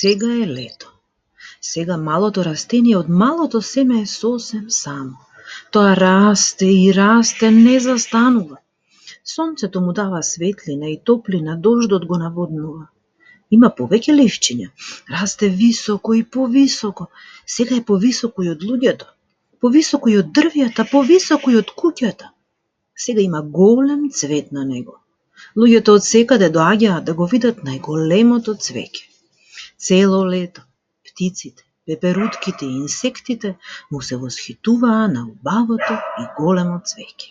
Сега е лето. Сега малото растение од малото семе е сосем само. Тоа расте и расте, не застанува. Сонцето му дава светлина и топлина, дождот го наводнува. Има повеќе ливчиња, расте високо и повисоко. Сега е повисоко и од луѓето, повисоко и од дрвјата, повисоко и од куќата. Сега има голем цвет на него. Луѓето од секаде доаѓаат да го видат најголемото цвеќе. Цело лето птиците, пеперутките и инсектите му се восхитуваа на убавото и големо цвеќе.